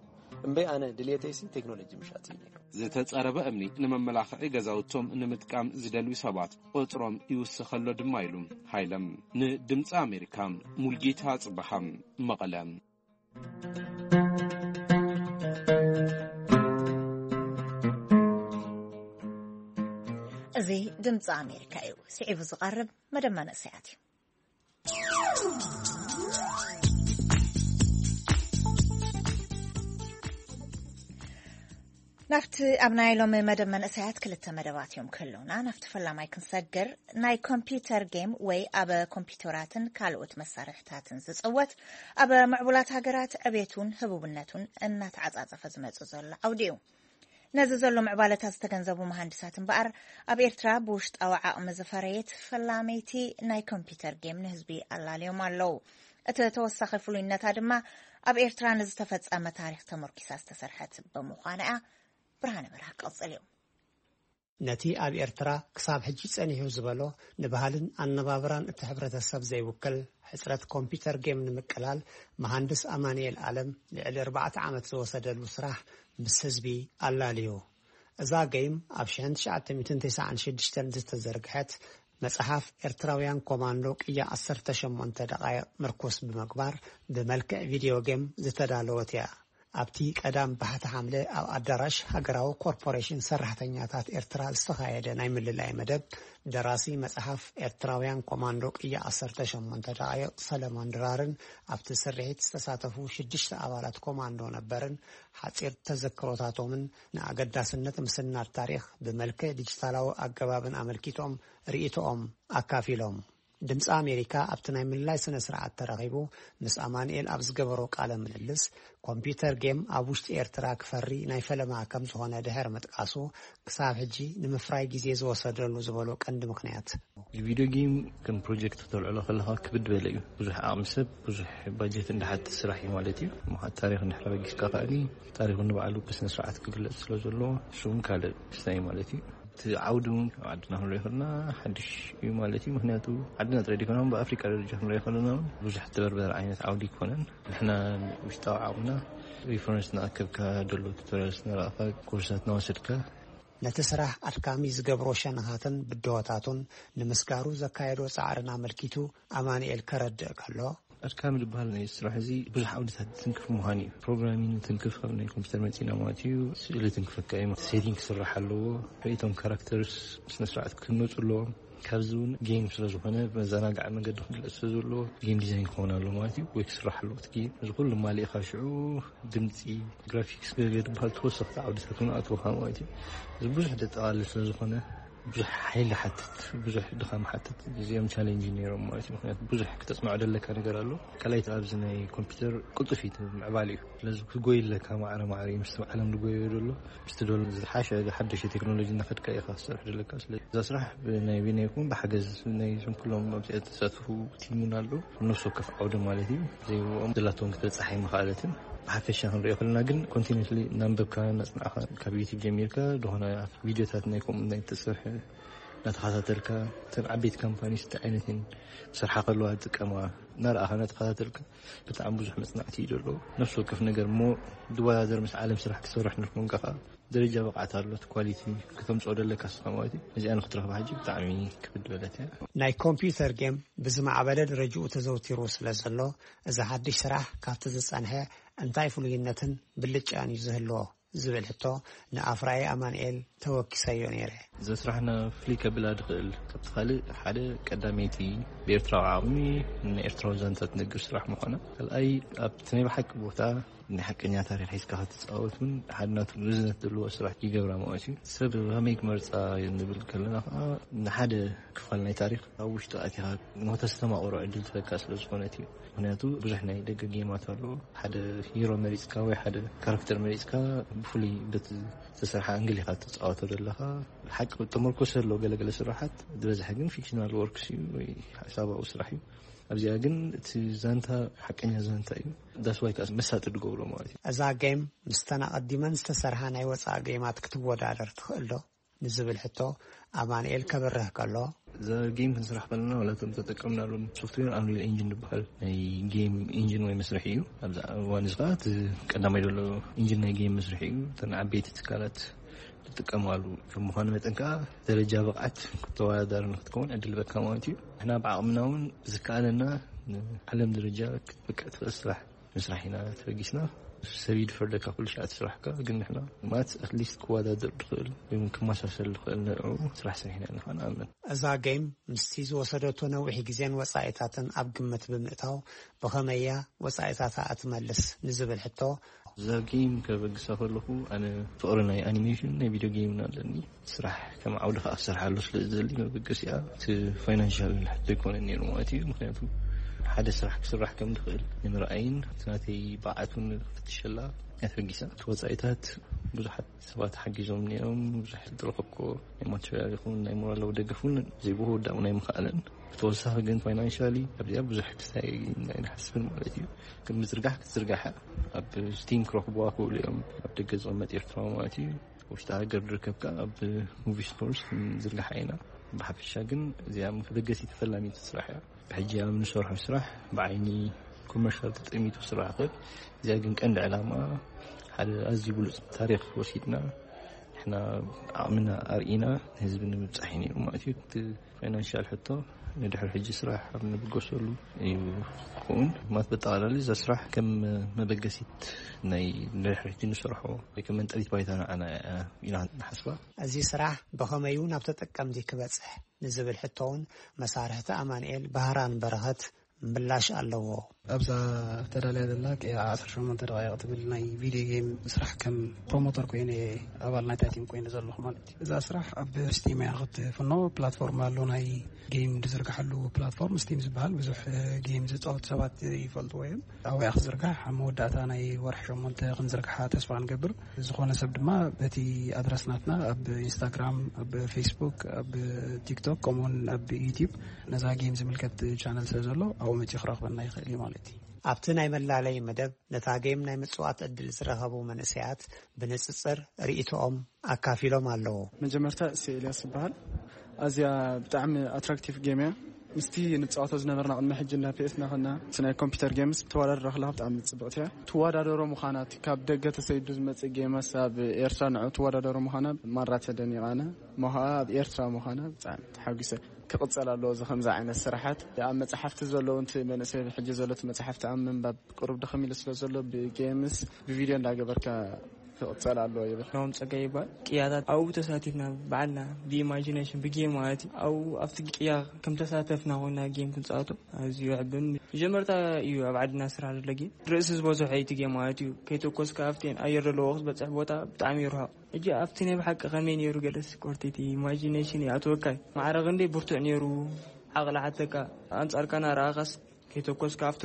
እምበይ ኣነ ድልየተይሲ ቴክኖሎጂ ምሻጥ እዩ ነይሩ። ዝተጸረበ እምኒ ንመመላኽዒ ገዛውቶም ንምጥቃም ዝደልዩ ሰባት ቁጽሮም ይውስኸሎ ድማ ኢሉ ሃይለም። ንድምፂ ኣሜሪካ ሙልጌታ ጽበሃ፣ መቐለ። እዚ ድምፂ ኣሜሪካ እዩ። ስዒቡ ዝቐርብ መደብ መንእሰያት እዩ። ናብቲ ኣብ ናይ ሎሚ መደብ መንእሰያት ክልተ መደባት እዮም ክህልውና። ናብቲ ፈላማይ ክንሰግር፣ ናይ ኮምፒውተር ጌም ወይ ኣብ ኮምፒውተራትን ካልኦት መሳርሕታትን ዝጽወት፣ ኣብ ምዕቡላት ሃገራት ዕቤቱን ህቡብነቱን እናተዓጻጸፈ ዝመጽእ ዘሎ ዓውዲ እዩ። ነዚ ዘሎ ምዕባለታት ዝተገንዘቡ መሃንድሳት እምበኣር፣ ኣብ ኤርትራ ብውሽጣዊ ዓቕሚ ዝፈረየት ፈላመይቲ ናይ ኮምፒውተር ጌም ንህዝቢ ኣላልዮም ኣለዉ። እቲ ተወሳኺ ፍሉይነታ ድማ ኣብ ኤርትራ ንዝተፈጸመ ታሪኽ ተመርኪሳ ዝተሰርሐት ብምዃና እያ። ብርሃነ በርሃ ክቕጽል እዩ። ነቲ ኣብ ኤርትራ ክሳብ ሕጂ ጸኒሑ ዝበሎ ንባህልን ኣነባብራን እቲ ሕብረተሰብ ዘይውክል ሕጽረት ኮምፒውተር ጌም ንምቅላል መሃንድስ ኣማንኤል ኣለም ልዕሊ ኣርባዕተ ዓመት ዝወሰደሉ ስራሕ ምስ ህዝቢ ኣላልዩ። እዛ ገይም ኣብ ሽሕን ትሽዓተ ሚእትን ተስዓን ሽዱሽተን ዝተዘርግሐት መጽሓፍ ኤርትራውያን ኮማንዶ ቅያ ዓሰርተ ሸሞንተ ደቓይቕ ምርኩስ ብምግባር ብመልክዕ ቪድዮ ጌም ዝተዳለወት እያ። ኣብቲ ቀዳም ባሕቲ ሓምለ ኣብ ኣዳራሽ ሃገራዊ ኮርፖሬሽን ሰራሕተኛታት ኤርትራ ዝተኻየደ ናይ ምልላይ መደብ ደራሲ መጽሓፍ ኤርትራውያን ኮማንዶ ቅያ ዓሰርተ ሸሞንተ ደቓይቕ ሰለሞን ድራርን ኣብቲ ስርሒት ዝተሳተፉ ሽዱሽተ ኣባላት ኮማንዶ ነበርን ሓጺር ተዘክሮታቶምን ንኣገዳስነት ምስናድ ታሪኽ ብመልክዕ ዲጂታላዊ ኣገባብን ኣመልኪቶም ርእይቶኦም ኣካፊሎም። ድምፂ ኣሜሪካ ኣብቲ ናይ ምልላይ ስነ ስርዓት ተረኺቡ ምስ ኣማንኤል ኣብ ዝገበሮ ቃለ ምልልስ ኮምፒውተር ጌም ኣብ ውሽጢ ኤርትራ ክፈሪ ናይ ፈለማ ከም ዝኾነ ድሕሪ ምጥቃሱ ክሳብ ሕጂ ንምፍራይ ግዜ ዝወሰደሉ ዝበሎ ቀንዲ ምኽንያት ቪድዮ ጌም ከም ፕሮጀክት ተልዕሎ ከለኻ ክብድ በለ እዩ። ብዙሕ ዓቕሚ ሰብ ብዙሕ ባጀት እንዳሓት ስራሕ እዩ ማለት እዩ። ምዃት ታሪኽ እንድሕር በጊስካ ከኣኒ ታሪኹ ንባዕሉ ብስነ ስርዓት ክግለፅ ስለ ዘለዎ እሱ እውን ካልእ ክስታይ ማለት እዩ። እቲ ዓውዲ እውን ኣብ ዓድና ክንሪኦ ከለና ሓድሽ እዩ ማለት እዩ። ምክንያቱ ዓድና ጥራይ ዘይኮነ እውን ብኣፍሪቃ ደረጃ ክንሪኦ ከለና እውን ብዙሕ ትበርበር ዓይነት ዓውዲ ኣይኮነን። ንሕና ውሽጣዊ ዓቕምና ሪፈረንስ እናኣከብካ ደሎ ቱቶሪያልስ እናረኣኻ ኮርሳት እናወሰድካ ነቲ ስራሕ ኣድካሚ ዝገብሮ ሸነኻትን ብድሆታቱን ንምስጋሩ ዘካየዶ ጻዕርን ኣመልኪቱ ኣማንኤል ከረድእ ከሎ፣ ኣድካሚ ዝበሃል ናይ ስራሕ እዚ ብዙሕ ዓውድታት ዝትንክፍ ምዃኑ እዩ። ፕሮግራሚንግ ትንክፍ ካብ ናይ ኮምፒውተር መፂና ማለት እዩ። ስእሊ ትንክፈካ እዩ። ሴቲንግ ክስራሕ ኣለዎ። ርእይቶም ካራክተርስ ስነ ስርዓት ክህነፁ ኣለዎም። ካብዚ እውን ጌም ስለ ዝኾነ መዘናግዒ መንገዲ ክግለፅ ስለ ዘለዎ ጌም ዲዛይን ክኸውን ኣለዎ ማለት እዩ። ወይ ክስራሕ ኣለዎ እቲ ጌም። እዚ ኩሉ ማሊእኻ ሽዑ ድምፂ፣ ግራፊክስ ገለ ዝበሃል ተወሰኽቲ ዓውድታት እውን ኣእትወኻ ማለት እዩ። እዚ ብዙሕ ዘጠቓልል ስለ ዝኾነ ብዙሕ ሓይሊ ሓትት፣ ብዙሕ ድኻም ሓትት። እዚኦም ቻሌንጅ ነይሮም ማለት እዩ። ምክንያቱ ብዙሕ ክተፅንዖ ደለካ ነገር ኣሎ። ካልኣይቲ ኣብዚ ናይ ኮምፒውተር ቅልጡፍ እዩ እቲ ምዕባለ እዩ። ስለዚ ክጎይ ኣለካ ማዕረ ማዕረ እዩ። ምስቲ ዓለም ዝጎዮ ዘሎ ምስቲ ዶሎ ዝሓሸ ሓደሽ ቴክኖሎጂ እናኸድካ ኢኻ ክትሰርሕ ዘለካ። ስለዚ እዛ ስራሕ ብናይ ቢና ይኹን ብሓገዝ ናይ ዞም ኩሎም ኣብዚኣ ዝተሳተፉ ቲም እውን ኣሎ። ነፍሲ ወከፍ ዓውዲ ማለት እዩ። ዘይብኦም ዘላቶም ክትበፅሕ ኣይምኽኣለትን። ብሓፈሻ ክንሪኦ ከለና ግን ኮንቲኒስሊ እናንበብካ እናፅናዕካ ካብ ዩቲብ ጀሚርካ ዝኾነ ቪድዮታት ናይ ከምኡ ናይ ተሰርሐ እናተኸታተልካ እተን ዓበይቲ ካምፓኒስ እንታይ ዓይነት እየን ክሰርሓ ከለዋ ዝጥቀማ እናረኣኻ እናተኸታተልካ ብጣዕሚ ብዙሕ መፅናዕቲ እዩ ዘለዎ። ነፍሲ ወከፍ ነገር እሞ ዝወዳደር ምስ ዓለም ስራሕ ክሰርሕ ንድኮንካ ከዓ ደረጃ ብቕዓት ኣሎ እቲ ኳሊቲ ከተምፅኦ ደለካ ስኻ ማለት እዩ። እዚኣ ንክትረኽባ ሕጂ ብጣዕሚ ክብድ በለት እያ። ናይ ኮምፒውተር ጌም ብዝማዕበለ ደረጅኡ ተዘውቲሩ ስለ ዘሎ እዚ ሓድሽ ስራሕ ካብቲ ዝፀንሐ እንታይ ፍሉይነትን ብልጫን እዩ ዝህልዎ ዝብል ሕቶ ንኣፍራዪ ኣማንኤል ተወኪሰዮ ነይረ። እዛ ስራሕና ፍልይ ከብላ ድኽእል ካብቲ ካልእ ሓደ ቀዳመይቲ ብኤርትራዊ ዓቕሚ ንኤርትራዊ ዛንታ ትነግር ስራሕ ምዃና፣ ካልኣይ ኣብቲ ናይ ብሓቂ ቦታ ናይ ሓቀኛ ታሪኽ ሒዝካ ክትፃወት እውን ሓደ ናቱ ርዝነት ዘለዎ ስራሕ ይገብራ ማለት እዩ። ሰብ ከመይ ክመርፃ ንብል ከለና ከዓ ንሓደ ክፋል ናይ ታሪኽ ኣብ ውሽጡ ኣቲኻ ንክተስተማቕሮ ዕድል ትህበካ ስለ ዝኾነት እዩ። ምክንያቱ ብዙሕ ናይ ደገ ጌማት ኣሎ። ሓደ ሂሮ መሪፅካ ወይ ሓደ ካራክተር መሪፅካ ብፍሉይ በቲ ዝተሰርሐ ኣንግል ኢኻ ትፃወቶ ዘለኻ። ሓቂ ተመርኮሰ ኣሎ ገለገለ ስራሓት ዝበዝሐ ግን ፊክሽናል ወርክስ እዩ ወይ ሓሳባዊ ስራሕ እዩ። ኣብዚኣ ግን እቲ ዛንታ ሓቀኛ ዛንታ እዩ። ዳስዋይ ከዓ መሳጢ ድገብሮ ማለት እዩ። እዛ ጌም ምስተን ኣቐዲመን ዝተሰርሓ ናይ ወፃኢ ጌማት ክትወዳደር ትኽእል ዶ ንዝብል ሕቶ ኣማንኤል ከብርህ ከሎ፣ እዛ ጌም ክንስራሕ ከለና ዋላ እቶም ተጠቀምናሎም ሶፍትዌር ኣንሪል ኢንጂን ዝበሃል ናይ ጌም ኢንጂን ወይ መስርሒ እዩ። ኣብዚ እዋን እዚ ከዓ እቲ ቀዳማይ ዘሎ ኢንጂን ናይ ጌም መስርሒ እዩ። እተን ዓበይቲ ትካላት ዝጥቀማሉ ከም ምዃኑ መጠን ከዓ ደረጃ ብቕዓት ክትወዳደር ንክትከውን ዕድል በካ ማለት እዩ። ንሕና ብዓቕምና እውን ዝከኣለና ንዓለም ደረጃ ክትበቅዕ ትኽእል ስራሕ ምስራሕ ኢና ተበጊስና። ሰብ ይድፈር ደካ ኩሉ ሻዕ ትስራሕካ ግን ንሕና ማለት ኣትሊስት ክወዳደር ድኽእል ወይ እውን ክመሳሰል ድኽእል ንዕኡ ስራሕ ሰሪሕና ኢና ንኣምን። እዛ ጌም ምስቲ ዝወሰደቶ ነዊሕ ግዜን ወጻኢታትን ኣብ ግምት ብምእታው ብኸመይ እያ ወጻኢታታ እትመልስ ንዝብል ሕቶ፣ እዛ ጌም ከበግሳ ከለኹ ኣነ ፍቕሪ ናይ ኣኒሜሽን ናይ ቪድዮ ጌምን ኣለኒ። ስራሕ ከም ዓውዲ ከዓ ክሰርሓሉ ስለ ዝደሊ መበገሲኣ እቲ ፋይናንሻል ሕቶ ኣይኮነን ነይሩ ማለት እዩ። ምክንያቱ ሓደ ስራሕ ክስራሕ ከም ዝኽእል ንምርኣይን እቲ ናተይ ብዓት እውን ክፍትሸላ እያ ተበጊሳ። እቲ ወፃኢታት ብዙሓት ሰባት ሓጊዞም ነይሮም። ብዙሕ ዝረኸብኮ ናይ ማቴሪያል ይኹን ናይ ሞራላዊ ደገፍ እውን ዘይብኡ ወዳኡ ናይ ምኽኣለን። ብተወሳኺ ግን ፋይናንሻሊ ኣብዚኣ ብዙሕ ክስታይ ኣይንሓስብን ማለት እዩ። ግን ምዝርጋሕ ክትዝርጋሓ ኣብ ስቲም ክረኽብዋ ክእሉ እዮም ኣብ ደገ ዝቕመጥ ኤርትራዊ ማለት እዩ። ውሽጢ ሃገር ዝርከብካ ኣብ ሙቪ ስቶርስ ንዝርግሓ ኢና። ብሓፈሻ ግን እዚኣ መበገሲት ፈላሚት ስራሕ እያ። ብሕጂ ኣብ ንሰርሖ ስራሕ ብዓይኒ ኮመርሻል ተጠሚቱ ስራሕ ይኽእል። እዚኣ ግን ቀንዲ ዕላማ ሓደ ኣዝዩ ብሉፅ ታሪኽ ወሲድና ንሕና ዓቕምና ኣርኢና ንህዝቢ ንምብፃሕ እዩ ነይሩ ማለት እዩ። እቲ ፋይናንሻል ሕቶ ንድሕሪ ሕጂ ስራሕ ኣብ ንብገሰሉ እዩ ክኸውን ማለት በጠቓላሊ እዛ ስራሕ ከም መበገሲት ናይ ድሕርቲ ንሰርሖ ወይ ከም መንጠሊት ባይታ ንዓና ኢና ንሓስባ። እዚ ስራሕ ብኸመዩ ናብ ተጠቀምቲ ክበጽሕ ንዝብል ሕቶ እውን መሳርሕቲ ኣማንኤል ባህራን በረኸት ምላሽ ኣለዎ። ኣብዛ ተዳልያ ዘላ ቀያ ዓሰርተ ሸሞንተ ደቂቕ ትብል ናይ ቪድዮ ጌም ስራሕ ከም ፕሮሞተር ኮይነ ኣባል ናይታ ቲም ኮይነ ዘለኹ ማለት እዩ። እዛ ስራሕ ኣብ ስቲም እያ ክትፍኖ። ፕላትፎርም ኣሎ ናይ ጌም ዝዝርግሓሉ ፕላትፎርም ስቲም ዝበሃል ብዙሕ ጌም ዝፃወቱ ሰባት ይፈልጥዎ እዮም። ኣብያ ክዝርጋሕ ኣብ መወዳእታ ናይ ወርሒ ሸሞንተ ክንዝርግሓ ተስፋ ንገብር። ዝኾነ ሰብ ድማ በቲ ኣድረስ ናትና ኣብ ኢንስታግራም፣ ኣብ ፌስቡክ፣ ኣብ ቲክቶክ ከምኡውን ኣብ ዩቲዩብ ነዛ ጌም ዝምልከት ቻነል ስለ ዘሎ ኣብኡ መፂኡ ክረኽበና ይኽእል እዩ ማለት እዩ። ኣብቲ ናይ መላለይ መደብ ነታ ጌም ናይ ምጽዋት ዕድል ዝረኸቡ መንእሰያት ብንጽጽር ርእይቶኦም ኣካፊሎም ኣለዉ። መጀመርታ እሰይ ኤልያስ ይበሃል። ኣዝያ ብጣዕሚ ኣትራክቲቭ ጌም እያ። ምስቲ ንጻወቶ ዝነበርና ቅድሚ ሕጂ እንዳ ፒኤስ እናኸና እቲ ናይ ኮምፒውተር ጌምስ ትወዳደር ከለኻ ብጣዕሚ ጽብቕቲ እያ። ትወዳደሮ ምዃና እቲ ካብ ደገ ተሰይዱ ዝመጽእ ጌመስ ኣብ ኤርትራ ንዑ ትወዳደሮ ምዃና ማራ ተደኒቓ ኣነ። እሞ ኸኣ ኣብ ኤርትራ ምዃና ብጣዕሚ ተሓጒሰ። ክቕጸል ኣለዎ እዚ ከምዚ ዓይነት ስራሓት። ኣብ መጽሓፍቲ ዘለዉ እቲ መንእሰይ ሕጂ ዘሎ እቲ መጽሓፍቲ ኣብ ምንባብ ቅሩብ ድኽም ኢሉ ስለ ዘሎ ብጌምስ ብቪድዮ እንዳገበርካ ክቕጸል ኣለዎ ይብል። ናሆም ጸጋይ ይባል። ቅያታት ኣብኡ ተሳቲፍና ባዕልና ብኢማጂኔሽን ብጌም ማለት እዩ። ኣብኡ ኣብቲ ቅያ ከም ተሳተፍና ኮይና ጌም ክንጻወቶ ኣዝዩ የዕብን። መጀመርታ እዩ ኣብ ዓድና ስራሕ ዘሎ ጌም። ርእሲ ዝበዝሖ እዩ እቲ ጌም ማለት እዩ። ከይተኮስካ ኣብቲ ኣየር ዘለዎ ክትበጽሕ ቦታ ብጣዕሚ ይርሕቕ። ሕጂ ኣብቲ ናይ ብሓቂ ከመይ ነይሩ ገለስ ኮርቲቲ ኢማጂኔሽን ይኣትወካ እዩ። ማዕረ ክንደይ ብርቱዕ ነይሩ ዓቕሊ ሓተካ ኣንጻርካ ናረኣኻስ ከይተኮስካ ኣብቲ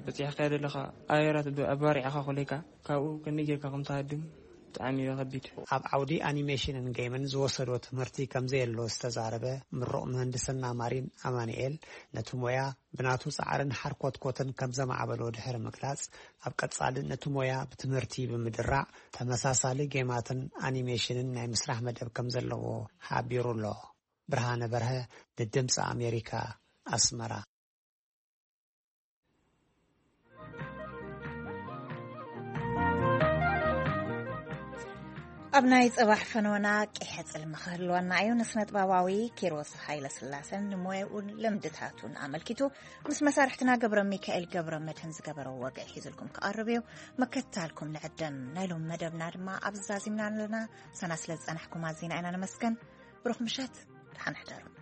በጺሕካዮ ዘለኻ ኣየራት ኣባሪዕኻ ኮለካ ካብኡ ከመይ ጌርካ ከም ትሃድም ብጣዕሚ እዩ ከቢድ። ኣብ ዓውዲ ኣኒሜሽንን ጌምን ዝወሰዶ ትምህርቲ ከም ዘየሎ ዝተዛረበ ምሩቕ ምህንድስና ማሪን ኣማኑኤል ነቲ ሞያ ብናቱ ጻዕርን ሓርኮትኮትን ከም ዘማዕበሎ ድሕሪ ምግላጽ ኣብ ቀጻሊ ነቲ ሞያ ብትምህርቲ ብምድራዕ ተመሳሳሊ ጌማትን ኣኒሜሽንን ናይ ምስራሕ መደብ ከም ዘለዎ ሓቢሩ ኣሎ። ብርሃነ በርሀ ንድምፂ ኣሜሪካ ኣስመራ። ኣብ ናይ ጽባሕ ፈነወና ቂሐ ጽልሚ ክህልወና እዩ። ንስነጥበባዊ ኪሮስ ሃይለስላሰን ንሞያኡን ልምድታቱን ኣመልኪቱ ምስ መሳርሕትና ገብረ ሚካኤል ገብረ መድህን ዝገበሮ ወግዒ ሒዝልኩም ክቐርብ እዩ። መከታልኩም ንዕደም። ናይ ሎሚ መደብና ድማ ኣብ ዛዚምና ኣለና። ሰና ስለ ዝጸናሕኩም ኣዚና ኢና ነመስገን። ብሩኽ ምሸት፣ ደሓን ሕደሩ።